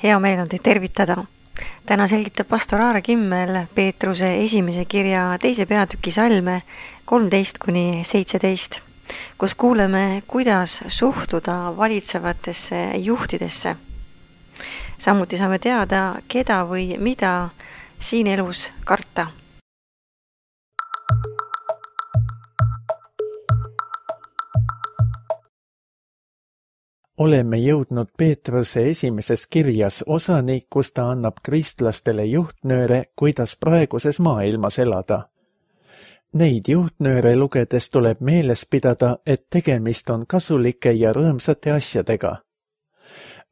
Hea meel on teid tervitada. Täna selgitab pastor Aare Kimmel Peetruse esimese kirja 2. peatüki salme 13-17, kus kuuleme, kuidas suhtuda valitsevatesse juhtidesse. Samuti saame teada, keda või mida siin elus karta. Oleme jõudnud Peetruse esimeses kirjas osani, kus ta annab kristlastele juhtnööre, kuidas praeguses maailmas elada. Neid juhtnööre lugedes tuleb meeles pidada, et tegemist on kasulike ja rõõmsate asjadega.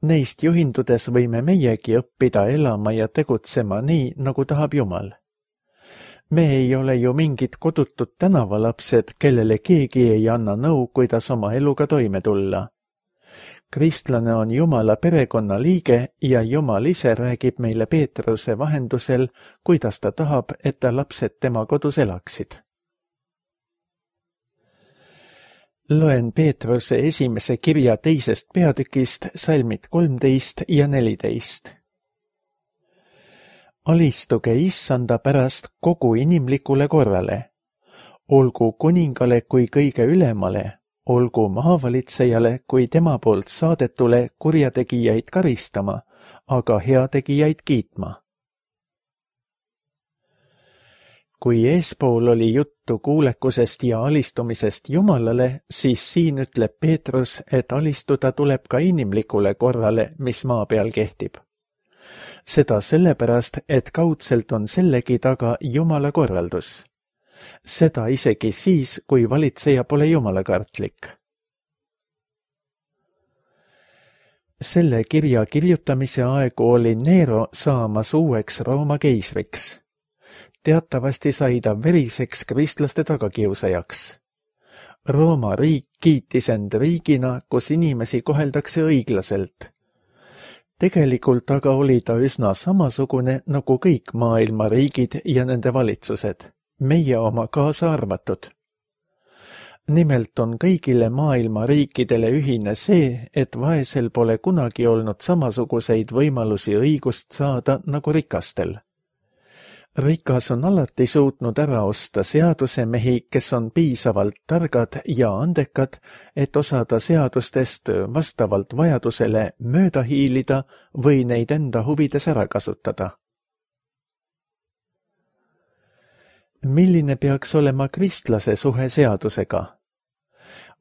Neist juhindudes võime meiegi õppida elama ja tegutsema nii, nagu tahab Jumal. Me ei ole ju mingid kodutud tänavalapsed, kellele keegi ei anna nõu, kuidas oma eluga toime tulla. Kristlane on Jumala perekonna liige ja Jumal ise räägib meile Peetruse vahendusel, kuidas ta tahab, et ta lapsed tema kodus elaksid. Loen Peetruse esimese kirja 2. peatükist salmid 13 ja 14. Alistuge Issanda pärast kogu inimlikule korrale. Olgu kuningale kui kõige ülemale, olgu maavalitsejale kui tema poolt saadetule kurjategijaid karistama, aga heategijaid kiitma. Kui eespool oli juttu kuulekusest ja alistumisest Jumalale, siis siin ütleb Peetrus, et alistuda tuleb ka inimlikule korrale, mis maa peal kehtib. Seda sellepärast, et kaudselt on sellegi taga Jumala korraldus. Seda isegi siis, kui valitseja pole jumalakartlik. Selle kirja kirjutamise aegu oli Nero saamas uueks Rooma keisriks. Teatavasti sai ta veriseks kristlaste tagakiusajaks. Rooma riik kiitis end riigina, kus inimesi koheldakse õiglaselt. Tegelikult aga oli ta üsna samasugune nagu kõik maailma riigid ja nende valitsused. Meie oma kaasa arvatud. Nimelt on kõigile maailma riikidele ühine see, et vaesel pole kunagi olnud samasuguseid võimalusi õigust saada nagu rikastel. Rikas on alati suutnud ära osta seadusemehi, kes on piisavalt targad ja andekad, et osada seadustest vastavalt vajadusele mööda hiilida või neid enda huvides ära kasutada. Milline peaks olema kristlase suhe seadusega?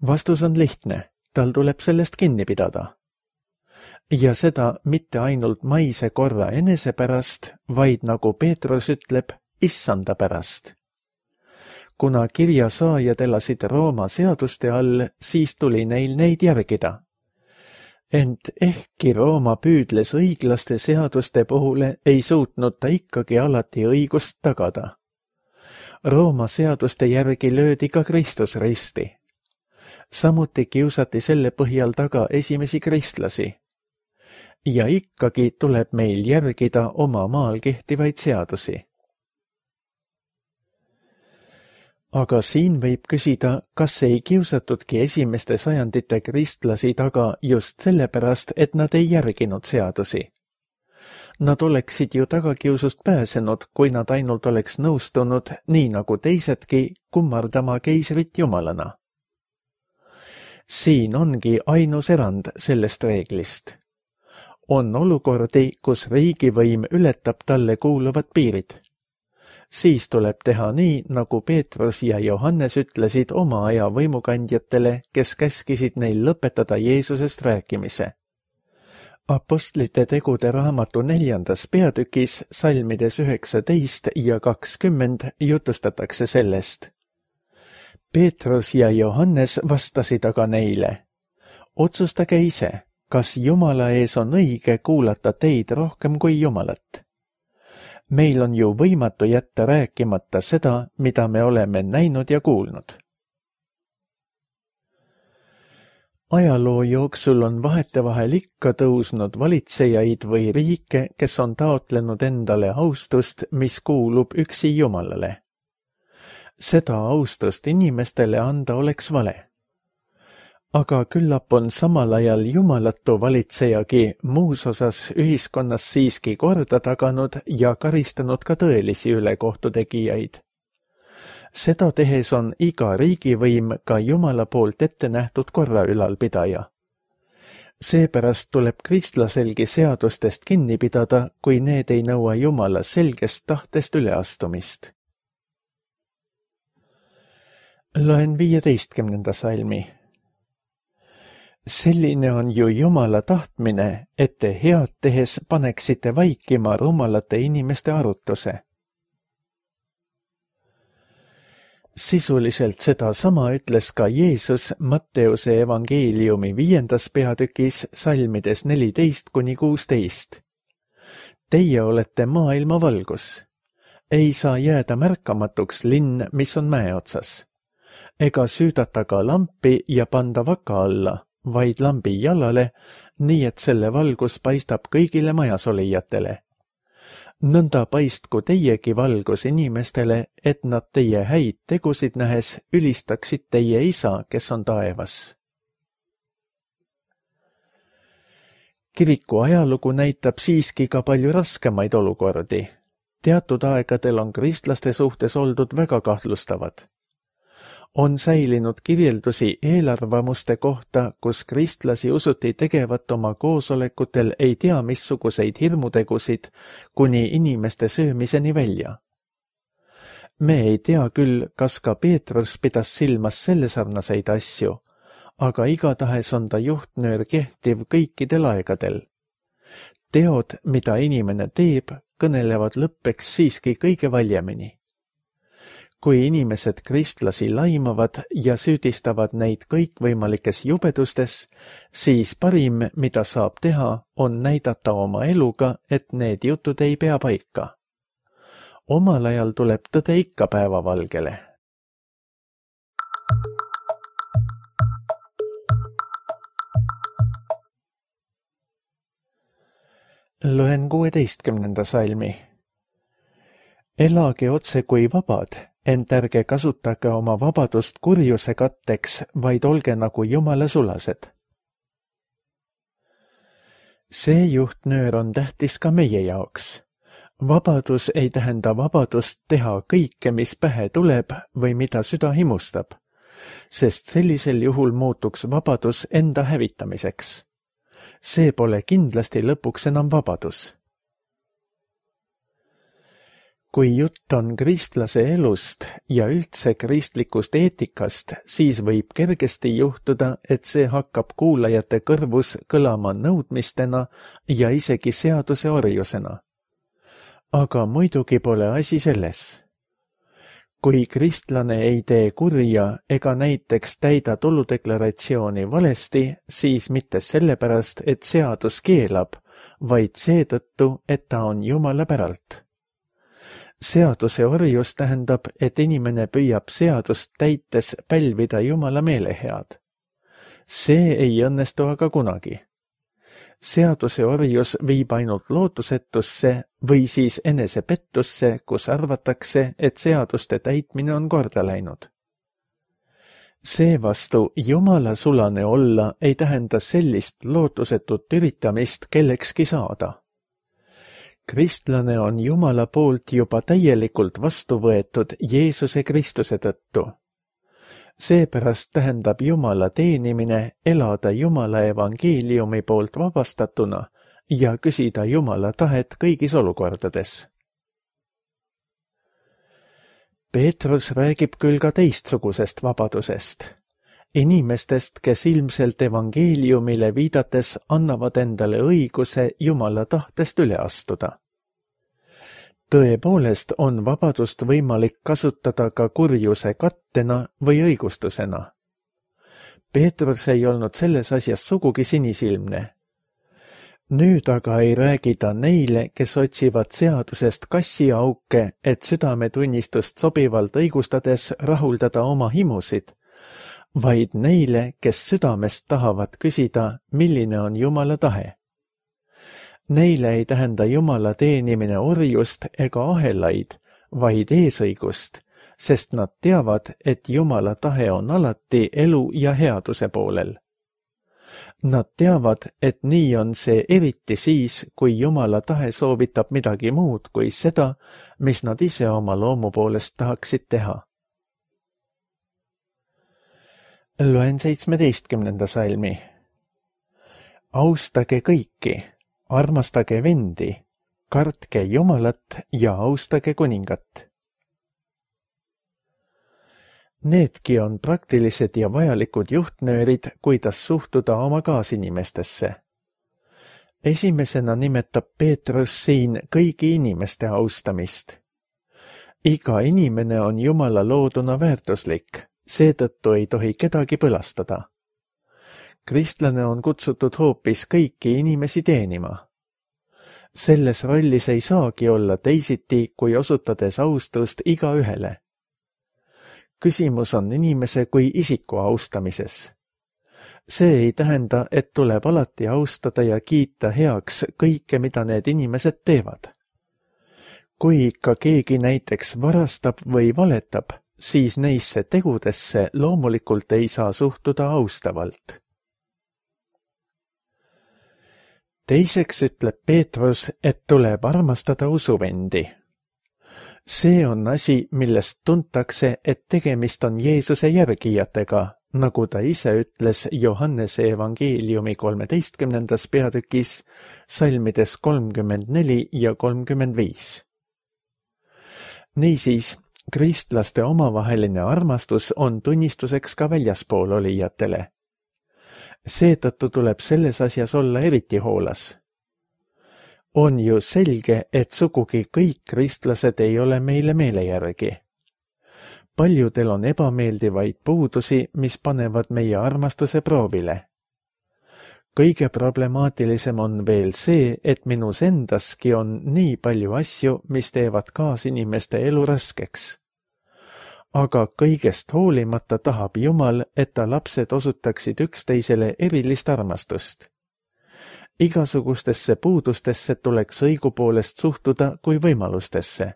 Vastus on lihtne, tal tuleb sellest kinni pidada. Ja seda mitte ainult maise korra enese pärast, vaid nagu Peetrus ütleb, Issanda pärast. Kuna kirja saajad elasid Rooma seaduste all, siis tuli neil neid järgida. Ent ehkki Rooma püüdles õiglaste seaduste puhule, ei suutnud ta ikkagi alati õigust tagada. Rooma seaduste järgi löödi ka Kristus risti. Samuti kiusati selle põhjal taga esimesi kristlasi. Ja ikkagi tuleb meil järgida oma maal kehtivaid seadusi. Aga siin võib küsida, kas ei kiusatudki esimeste sajandite kristlasi taga just sellepärast, et nad ei järginud seadusi. Nad oleksid ju tagakiusust pääsenud, kui nad ainult oleks nõustunud, nii nagu teisedki, kummardama keisrit jumalana. Siin ongi ainus erand sellest reeglist. On olukordi, kus riigivõim ületab talle kuuluvad piirid. Siis tuleb teha nii, nagu Peetrus ja Johannes ütlesid oma aja võimukandjatele, kes käskisid neil lõpetada Jeesusest rääkimise. Apostlite tegude raamatu 4. peatükis salmides 19 ja 20 jutustatakse sellest. Peetrus ja Johannes vastasid aga neile. Otsustage ise, kas Jumala ees on õige kuulata teid rohkem kui Jumalat. Meil on ju võimatu jätta rääkimata seda, mida me oleme näinud ja kuulnud. Ajaloo jooksul on vahetevahel ikka tõusnud valitsejaid või riike, kes on taotlenud endale austust, mis kuulub üksi Jumalale. Seda austust inimestele anda oleks vale. aga küllap on samal ajal jumalatu valitsejagi muus osas ühiskonnas siiski korda taganud ja karistanud ka tõelisi ülekohtu tegijaid. Seda tehes on iga riigivõim ka Jumala poolt ette nähtud korra ülalpidaja. Seepärast tuleb kristlaselgi seadustest kinni pidada, kui need ei nõua Jumala selgest tahtest üleastumist. Loen 15. salmi. Selline on ju Jumala tahtmine, et te head tehes paneksite vaikima rumalate inimeste arutuse. Sisuliselt seda sama ütles ka Jeesus Matteuse evangeeliumi 5. peatükis salmides 14-16. Teie olete maailma valgus. Ei saa jääda märkamatuks linn, mis on mäe otsas. Ega süüdata ka lampi ja panda vaka alla, vaid lambi jalale, nii et selle valgus paistab kõigile majas olijatele. Nõnda paistku teiegi valgus inimestele, et nad teie häid tegusid nähes ülistaksid teie isa, kes on taevas. Kiriku ajalugu näitab siiski ka palju raskemaid olukordi. Teatud aegadel on kristlaste suhtes oldud väga kahtlustavad. On säilinud kirjeldusi eelarvamuste kohta, kus kristlasi usuti tegevat oma koosolekutel ei tea missuguseid hirmutegusid kuni inimeste söömiseni välja. Me ei tea küll, kas ka Peetrus pidas silmas sellesarnaseid asju, aga igatahes on ta juhtnöör kehtiv kõikidel aegadel. Teod, mida inimene teeb, kõnelevad lõppeks siiski kõige valjemini. Kui inimesed kristlasi laimavad ja süüdistavad neid kõikvõimalikes jubedustes, siis parim, mida saab teha, on näidata oma eluga, et need jutud ei pea paika. Omal ajal tuleb tõde ikka päevavalgele. Loen 16. salmi. Elage otse kui vabad, ent ärge kasutage oma vabadust kurjuse katteks, vaid olge nagu Jumala sulased. See juhtnöör on tähtis ka meie jaoks. Vabadus ei tähenda vabadust teha kõike, mis pähe tuleb või mida süda himustab, sest sellisel juhul muutuks vabadus enda hävitamiseks. See pole kindlasti lõpuks enam vabadus. Kui jutt on kristlase elust ja üldse kristlikust eetikast, siis võib kergesti juhtuda, et see hakkab kuulajate kõrvus kõlama nõudmistena ja isegi seaduse orjusena. Aga muidugi pole asi selles. Kui kristlane ei tee kurja ega näiteks täida tuludeklaratsiooni valesti, siis mitte sellepärast, et seadus keelab, vaid seetõttu, et ta on Jumala päralt. Seaduse orjus tähendab, et inimene püüab seadust täites pälvida Jumala meelehead. See ei õnnestu aga kunagi. Seaduse orjus viib ainult lootusetusse või siis enesepettusse, kus arvatakse, et seaduste täitmine on korda läinud. Seevastu Jumala sulane olla ei tähenda sellist lootusetut üritamist kellekski saada. Kristlane on Jumala poolt juba täielikult vastu võetud Jeesuse Kristuse tõttu. Seepärast tähendab Jumala teenimine elada Jumala evangeeliumi poolt vabastatuna ja küsida Jumala tahet kõigis olukordades. Peetrus räägib küll ka teistsugusest vabadusest. Inimestest, kes ilmselt evangeeliumile viidates annavad endale õiguse Jumala tahtest üle astuda. Tõepoolest on vabadust võimalik kasutada ka kurjuse kattena või õigustusena. Peetrus ei olnud selles asjas sugugi sinisilmne. Nüüd aga ei räägi ta neile, kes otsivad seadusest kassiauke, et südametunnistust sobivalt õigustades rahuldada oma himusid, vaid neile, kes südamest tahavad küsida, milline on Jumala tahe. Neile ei tähenda Jumala teenimine orjust ega ahelaid, vaid eesõigust, sest nad teavad, et Jumala tahe on alati elu ja headuse poolel. Nad teavad, et nii on see eriti siis, kui Jumala tahe soovitab midagi muud kui seda, mis nad ise oma loomu poolest tahaksid teha. Loen 17. salmi. Austage kõiki, armastage vendi, kartke Jumalat ja austage kuningat. Needki on praktilised ja vajalikud juhtnöörid, kuidas suhtuda oma kaasinimestesse. Esimesena nimetab Peetrus siin kõigi inimeste austamist. Iga inimene on Jumala looduna väärtuslik, seetõttu ei tohi kedagi põlastada. Kristlane on kutsutud hoopis kõiki inimesi teenima. Selles rollis ei saagi olla teisiti, kui osutades austust igaühele. Küsimus on inimese kui isiku austamises. See ei tähenda, et tuleb alati austada ja kiita heaks kõike, mida need inimesed teevad. Kui ikka keegi näiteks varastab või valetab, siis neisse tegudesse loomulikult ei saa suhtuda austavalt. Teiseks ütleb Peetrus, et tuleb armastada usuvendi. See on asi, millest tuntakse, et tegemist on Jeesuse järgijatega, nagu ta ise ütles Johannese evangeeliumi 13. peatükis, salmides 34 ja 35. Niisiis, kristlaste omavaheline armastus on tunnistuseks ka väljaspool olijatele. Seetõttu tuleb selles asjas olla eriti hoolas. On ju selge, et sugugi kõik kristlased ei ole meile meele järgi. Paljudel on ebameeldivaid puudusi, mis panevad meie armastuse proovile. Kõige problemaatilisem on veel see, et minus endaski on nii palju asju, mis teevad kaasinimeste elu raskeks. Aga kõigest hoolimata tahab Jumal, et ta lapsed osutaksid üksteisele erilist armastust. Igasugustesse puudustesse tuleks õigupoolest suhtuda kui võimalustesse.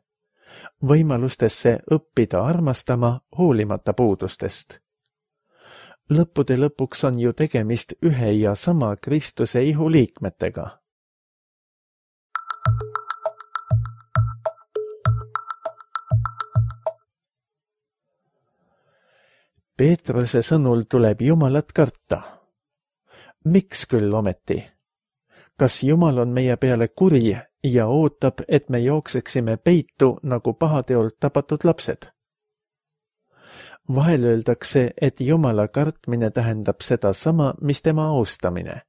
Võimalustesse õppida armastama hoolimata puudustest. Lõppude lõpuks on ju tegemist ühe ja sama Kristuse ihu liikmetega. Peetruse sõnul tuleb Jumalat karta. Miks küll ometi? Kas Jumal on meie peale kuri ja ootab, et me jookseksime peitu nagu pahateolt tapatud lapsed? Vahel öeldakse, et Jumala kartmine tähendab sedasama, mis tema austamine.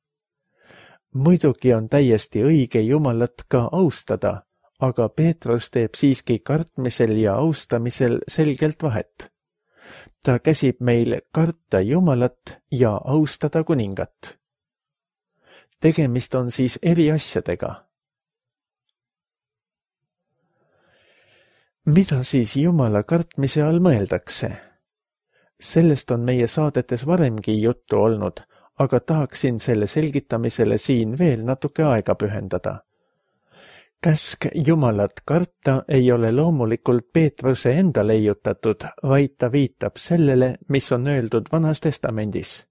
Muidugi on täiesti õige Jumalat ka austada, aga Peetrus teeb siiski kartmisel ja austamisel selgelt vahet. Ta käsib meil karta Jumalat ja austada kuningat. Tegemist on siis eri asjadega. Mida siis Jumala kartmise all mõeldakse? Sellest on meie saadetes varemgi juttu olnud, aga tahaksin selle selgitamisele siin veel natuke aega pühendada. Käsk Jumalat karta ei ole loomulikult Peetruse enda leiutatud, vaid ta viitab sellele, mis on öeldud Vanas Testamendis.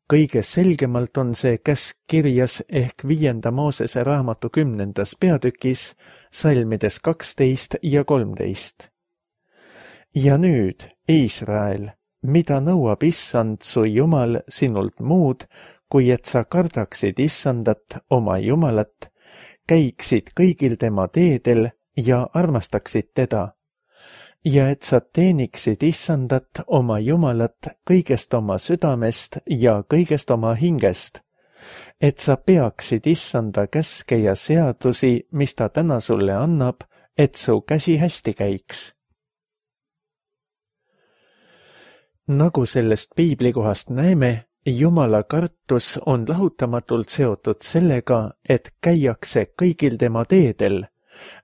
Kõige selgemalt on see käsk kirjas ehk 5. Moosese raamatu 10. peatükis, salmides 12 ja 13. Ja nüüd, Iisrael, mida nõuab Issand su Jumal sinult muud, kui et sa kardaksid Issandat, oma Jumalat, käiksid kõigil tema teedel ja armastaksid teda, ja et sa teeniksid Issandat, oma Jumalat, kõigest oma südamest ja kõigest oma hingest, et sa peaksid Issanda käske ja seadusi, mis ta täna sulle annab, et su käsi hästi käiks. Nagu sellest piiblikohast näeme, Jumala kartus on lahutamatult seotud sellega, et käiakse kõigil tema teedel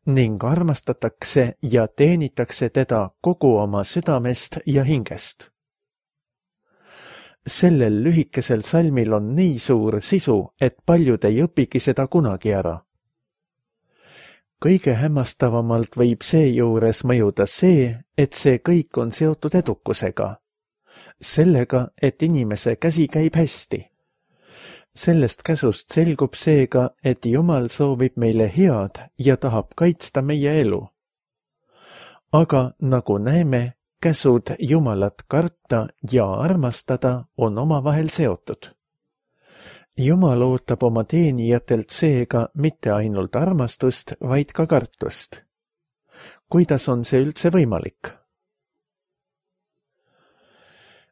ning armastatakse ja teenitakse teda kogu oma südamest ja hingest. Sellel lühikesel salmil on nii suur sisu, et paljud ei õpigi seda kunagi ära. Kõige hämmastavamalt võib seejuures mõjuda see, et see kõik on seotud edukusega. Sellega, et inimese käsi käib hästi. Sellest käsust selgub seega, et Jumal soovib meile head ja tahab kaitsta meie elu. Aga nagu näeme, käsud Jumalat karta ja armastada on omavahel seotud. Jumal ootab oma teenijatelt seega mitte ainult armastust, vaid ka kartust. Kuidas on see üldse võimalik?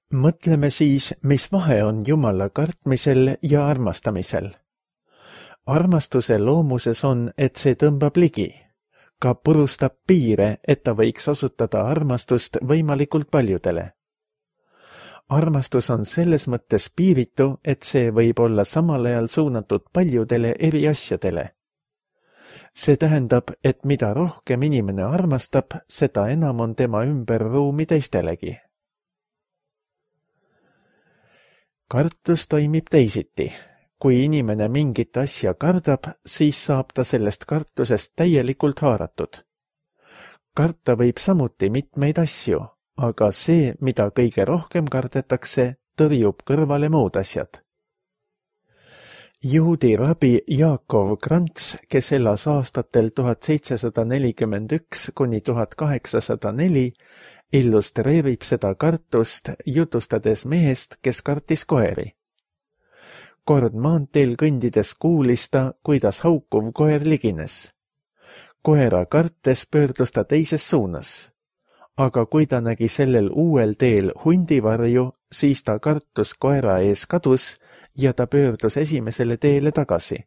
Mõtleme siis, mis vahe on Jumala kartmisel ja armastamisel. Armastuse loomuses on, et see tõmbab ligi, ka purustab piire, et ta võiks osutada armastust võimalikult paljudele. Armastus on selles mõttes piiritu, et see võib olla samal ajal suunatud paljudele eri asjadele. See tähendab, et mida rohkem inimene armastab, seda enam on tema ümber ruumi teistelegi. Kartus toimib teisiti. Kui inimene mingit asja kardab, siis saab ta sellest kartusest täielikult haaratud. Karta võib samuti mitmeid asju, aga see, mida kõige rohkem kardetakse, tõrjub kõrvale muud asjad. Juudi rabi Jaakov Krants, kes elas aastatel 1741 kuni 1804, illustreerib seda kartust jutustades mehest, kes kartis koeri. Kord maanteel kõndides kuulis ta, kuidas haukuv koer ligines. Koera kartes pöördus ta teises suunas. Aga kui ta nägi sellel uuel teel hundivarju, siis ta kartus koera ees kadus ja ta pöördus esimesele teele tagasi.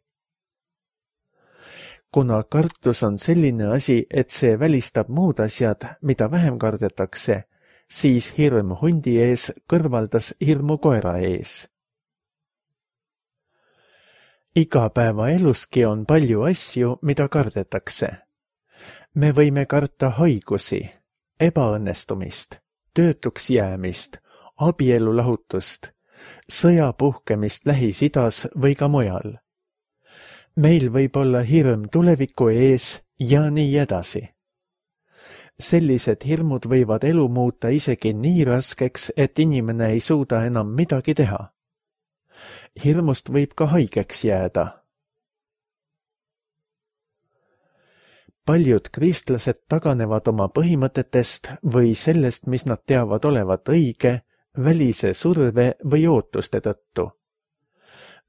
Kuna kartus on selline asi, et see välistab muud asjad, mida vähem kardetakse, siis hirm hundi ees kõrvaldas hirmu koera ees. Igapäevaeluski on palju asju, mida kardetakse. Me võime karta haigusi, ebaõnnestumist, töötuks jäämist, abielulahutust, sõja puhkemist Lähis-Idas või ka mujal. Meil võib olla hirm tuleviku ees ja nii edasi. Sellised hirmud võivad elu muuta isegi nii raskeks, et inimene ei suuda enam midagi teha. Hirmust võib ka haigeks jääda. Paljud kristlased taganevad oma põhimõtetest või sellest, mis nad teavad olevat õige, välise surve või ootuste tõttu.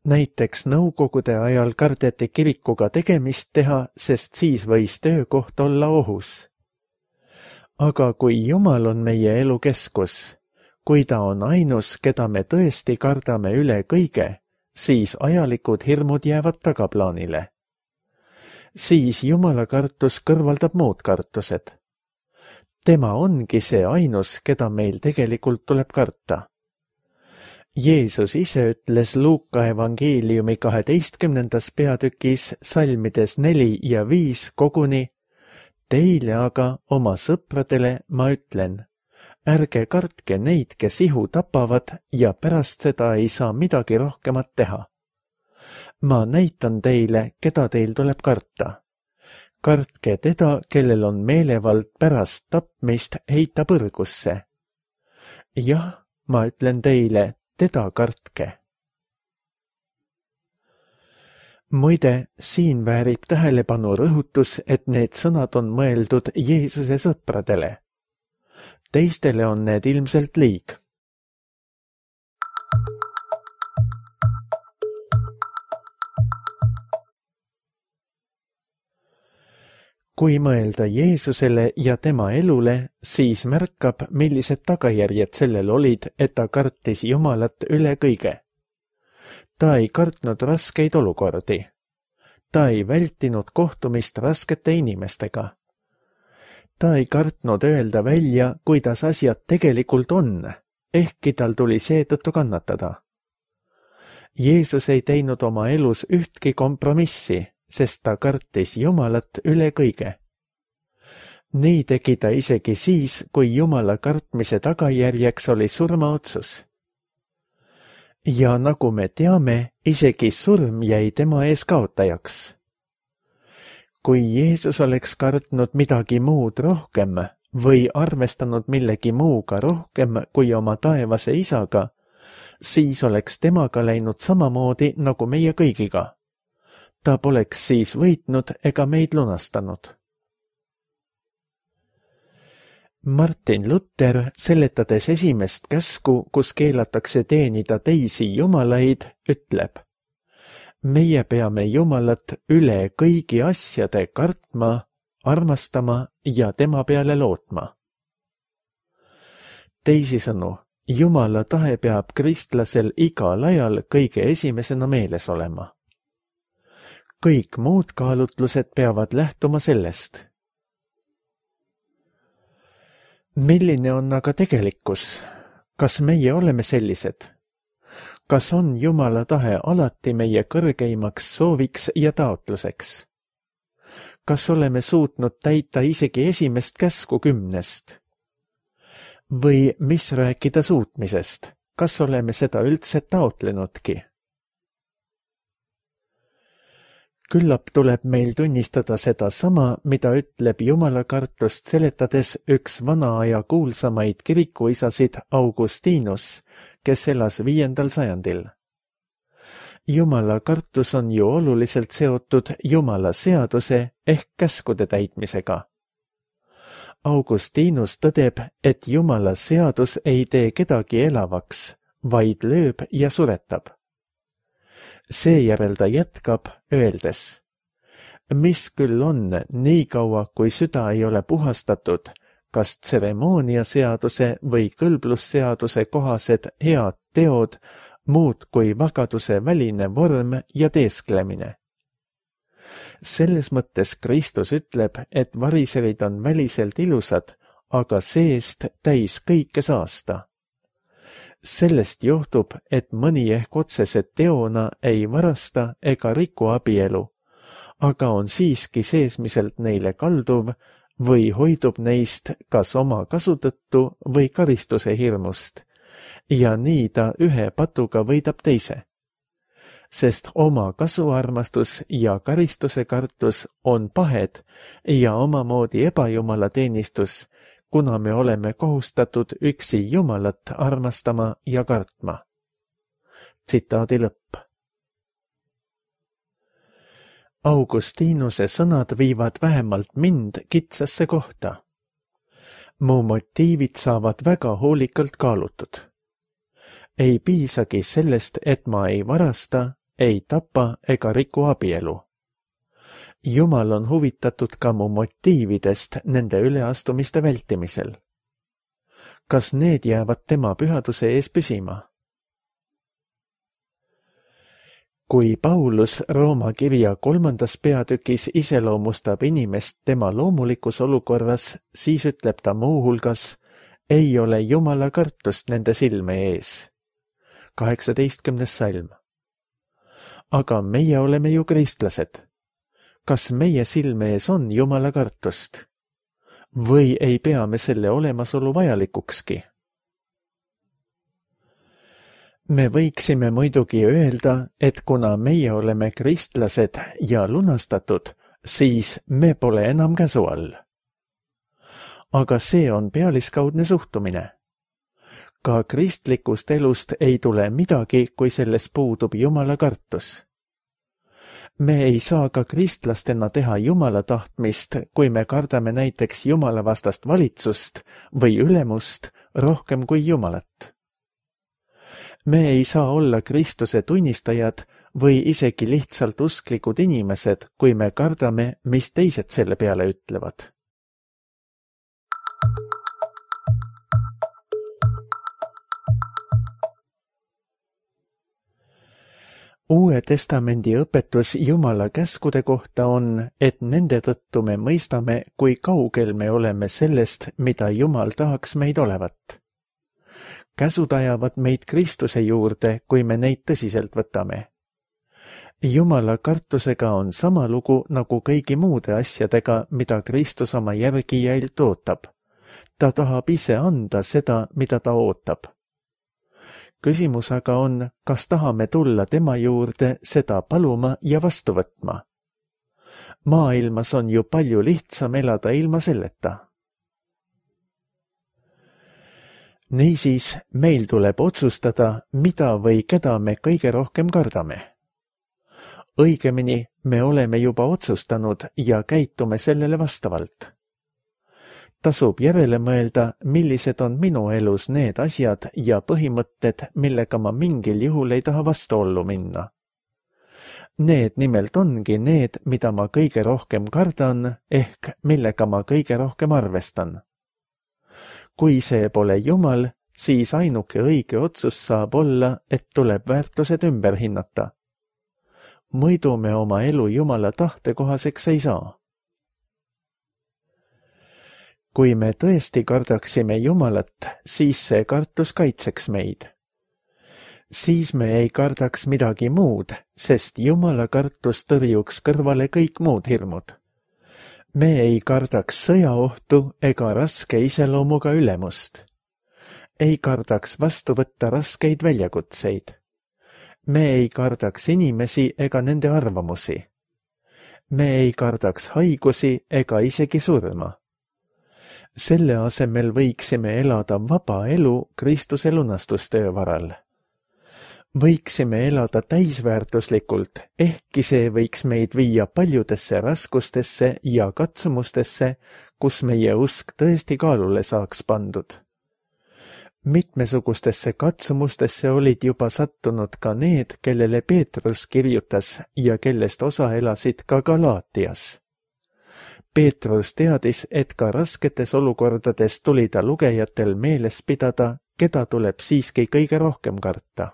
Näiteks nõukogude ajal kardeti kirikuga tegemist teha, sest siis võis töökoht olla ohus. Aga kui Jumal on meie elu keskus, kui ta on ainus, keda me tõesti kardame üle kõige, siis ajalikud hirmud jäävad tagaplaanile. Siis Jumala kartus kõrvaldab muud kartused. Tema ongi see ainus, keda meil tegelikult tuleb karta. Jeesus ise ütles Luuka evangeeliumi 12. peatükis salmides 4 ja 5 koguni: Teile aga, oma sõpradele, ma ütlen, ärge kartke neid, kes ihu tapavad ja pärast seda ei saa midagi rohkemat teha. Ma näitan teile, keda teil tuleb karta. Kartke teda, kellel on meelevald pärast tapmist heita põrgusse. Jah, ma ütlen teile, teda kartke. Muide, siin väärib tähelepanu rõhutus, et need sõnad on mõeldud Jeesuse sõpradele. Teistele on need ilmselt liig. Kui mõelda Jeesusele ja tema elule, siis märkab, millised tagajärjed sellel olid, et ta kartis Jumalat üle kõige. Ta ei kartnud raskeid olukordi. Ta ei vältinud kohtumist raskete inimestega. Ta ei kartnud öelda välja, kuidas asjad tegelikult on, ehkki tal tuli seetõttu kannatada. Jeesus ei teinud oma elus ühtki kompromissi, sest ta kartis Jumalat üle kõige. Nii tegi ta isegi siis, kui Jumala kartmise tagajärjeks oli surmaotsus. Ja nagu me teame, isegi surm jäi tema ees kaotajaks. Kui Jeesus oleks kartnud midagi muud rohkem või arvestanud millegi muuga rohkem kui oma taevase isaga, siis oleks temaga läinud samamoodi nagu meie kõigiga. Ta poleks siis võitnud ega meid lunastanud. Martin Luther, seletades esimest käsku, kus keelatakse teenida teisi jumalaid, ütleb: meie peame Jumalat üle kõigi asjade kartma, armastama ja tema peale lootma. Teisisõnu, Jumala tahe peab kristlasel igal ajal kõige esimesena meeles olema. Kõik muud kaalutlused peavad lähtuma sellest. Milline on aga tegelikkus? Kas meie oleme sellised? Kas on Jumala tahe alati meie kõrgeimaks sooviks ja taotluseks? Kas oleme suutnud täita isegi esimest käsku 10? Või mis rääkida suutmisest? Kas oleme seda üldse taotlenudki? Küllap tuleb meil tunnistada seda sama, mida ütleb Jumala kartust seletades üks vana aja kuulsamaid kirikuisasid Augustinus, kes elas 5. sajandil. Jumala kartus on ju oluliselt seotud Jumala seaduse ehk käskude täitmisega. Augustinus tõdeb, et Jumala seadus ei tee kedagi elavaks, vaid lööb ja suretab. Seejärel ta jätkab, öeldes: mis küll on, nii kaua kui süda ei ole puhastatud, kas tseremooniaseaduse või kõlblusseaduse kohased head teod, muud kui vagaduse väline vorm ja teesklemine. Selles mõttes Kristus ütleb, et variserid on väliselt ilusad, aga seest täis kõike saasta. Sellest johtub, et mõni ehk otsese teona ei varasta ega riku abielu, aga on siiski seesmiselt neile kalduv või hoidub neist kas oma kasu tõttu või karistuse hirmust, ja nii ta ühe patuga võidab teise. Sest oma kasuarmastus ja karistuse kartus on pahed ja omamoodi ebajumala teenistus, kuna me oleme kohustatud üksi Jumalat armastama ja kartma. Tsitaadi lõpp. Augustinuse sõnad viivad vähemalt mind kitsasse kohta. Mu motiivid saavad väga hoolikalt kaalutud. Ei piisagi sellest, et ma ei varasta, ei tapa ega riku abielu. Jumal on huvitatud ka mu motiividest nende üleastumiste vältimisel. Kas need jäävad tema pühaduse ees püsima? Kui Paulus Rooma kirja 3. peatükis iseloomustab inimest tema loomulikus olukorras, siis ütleb ta muuhulgas: ei ole Jumala kartust nende silme ees. 18. salm. Aga meie oleme ju kristlased. Kas meie silme ees on Jumala kartust? Või ei pea me selle olemasolu vajalikukski? Me võiksime muidugi öelda, et kuna meie oleme kristlased ja lunastatud, siis me pole enam käsu all. Aga see on pealiskaudne suhtumine. Ka kristlikust elust ei tule midagi, kui selles puudub Jumala kartus. Me ei saa ka kristlastena teha Jumala tahtmist, kui me kardame näiteks Jumala vastast valitsust või ülemust rohkem kui Jumalat. Me ei saa olla Kristuse tunnistajad või isegi lihtsalt usklikud inimesed, kui me kardame, mis teised selle peale ütlevad. Uue testamendi õpetus Jumala käskude kohta on, et nende tõttu me mõistame, kui kaugel me oleme sellest, mida Jumal tahaks meid olevat. Käsud ajavad meid Kristuse juurde, kui me neid tõsiselt võtame. Jumala kartusega on sama lugu nagu kõigi muude asjadega, mida Kristus oma järgijailt ootab. Ta tahab ise anda seda, mida ta ootab. Küsimus aga on, kas tahame tulla tema juurde seda paluma ja vastu võtma. Maailmas on ju palju lihtsam elada ilma selleta. Niisiis, meil tuleb otsustada, mida või keda me kõige rohkem kardame. Õigemini, me oleme juba otsustanud ja käitume sellele vastavalt. Tasub järele mõelda, millised on minu elus need asjad ja põhimõtted, millega ma mingil juhul ei taha vastuollu minna. Need nimelt ongi need, mida ma kõige rohkem kardan, ehk millega ma kõige rohkem arvestan. Kui see pole Jumal, siis ainuke õige otsus saab olla, et tuleb väärtused ümber hinnata. Muidu me oma elu Jumala tahte kohaseks ei saa. Kui me tõesti kardaksime Jumalat, siis see kartus kaitseks meid. Siis me ei kardaks midagi muud, sest Jumala kartus tõrjuks kõrvale kõik muud hirmud. Me ei kardaks sõjaohtu ega raske iseloomuga ülemust. Ei kardaks vastu võtta raskeid väljakutseid. Me ei kardaks inimesi ega nende arvamusi. Me ei kardaks haigusi ega isegi surma. Selle asemel võiksime elada vaba elu Kristuse lunastustöö varal. Võiksime elada täisväärtuslikult, ehkki see võiks meid viia paljudesse raskustesse ja katsumustesse, kus meie usk tõesti kaalule saaks pandud. Mitmesugustesse katsumustesse olid juba sattunud ka need, kellele Peetrus kirjutas ja kellest osa elasid ka Galaatias. Peetrus teadis, et ka rasketes olukordades tuli ta lugejatel meeles pidada, keda tuleb siiski kõige rohkem karta.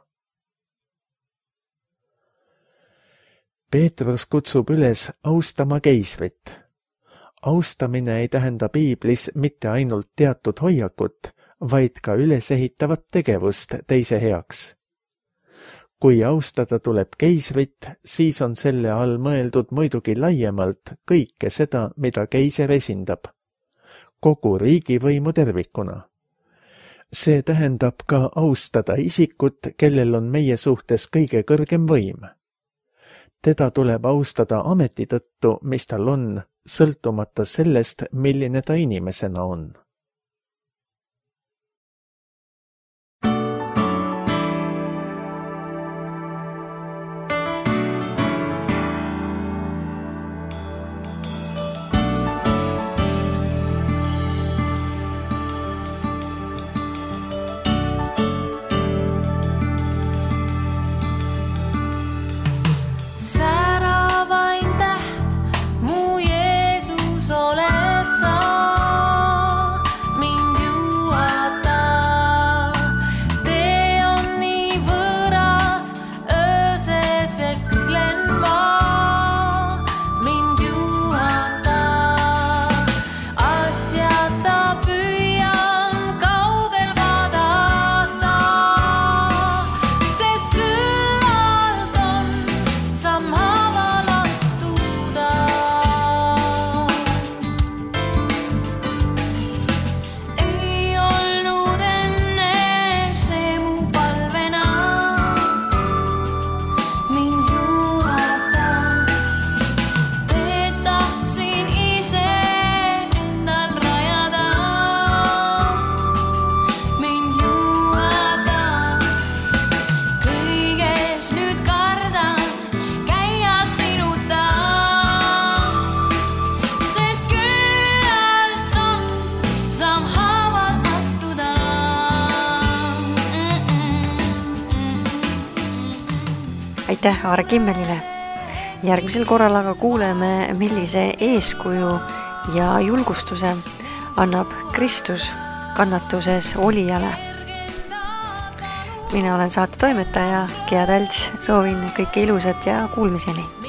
Peetrus kutsub üles austama keisrit. Austamine ei tähenda Piiblis mitte ainult teatud hoiakut, vaid ka ülesehitavat tegevust teise heaks. Kui austada tuleb keisrit, siis on selle all mõeldud muidugi laiemalt kõike seda, mida keiser esindab. Kogu riigivõimu tervikuna. See tähendab ka austada isikut, kellel on meie suhtes kõige kõrgem võim. Teda tuleb austada ameti tõttu, mis tal on, sõltumata sellest, milline ta inimesena on. Aitäh Aare Kimmelile. Järgmisel korral aga kuuleme, millise eeskuju ja julgustuse annab Kristus kannatuses olijale. Mina olen saate toimetaja Gea Tälts, soovin kõike ilusat ja kuulmiseni.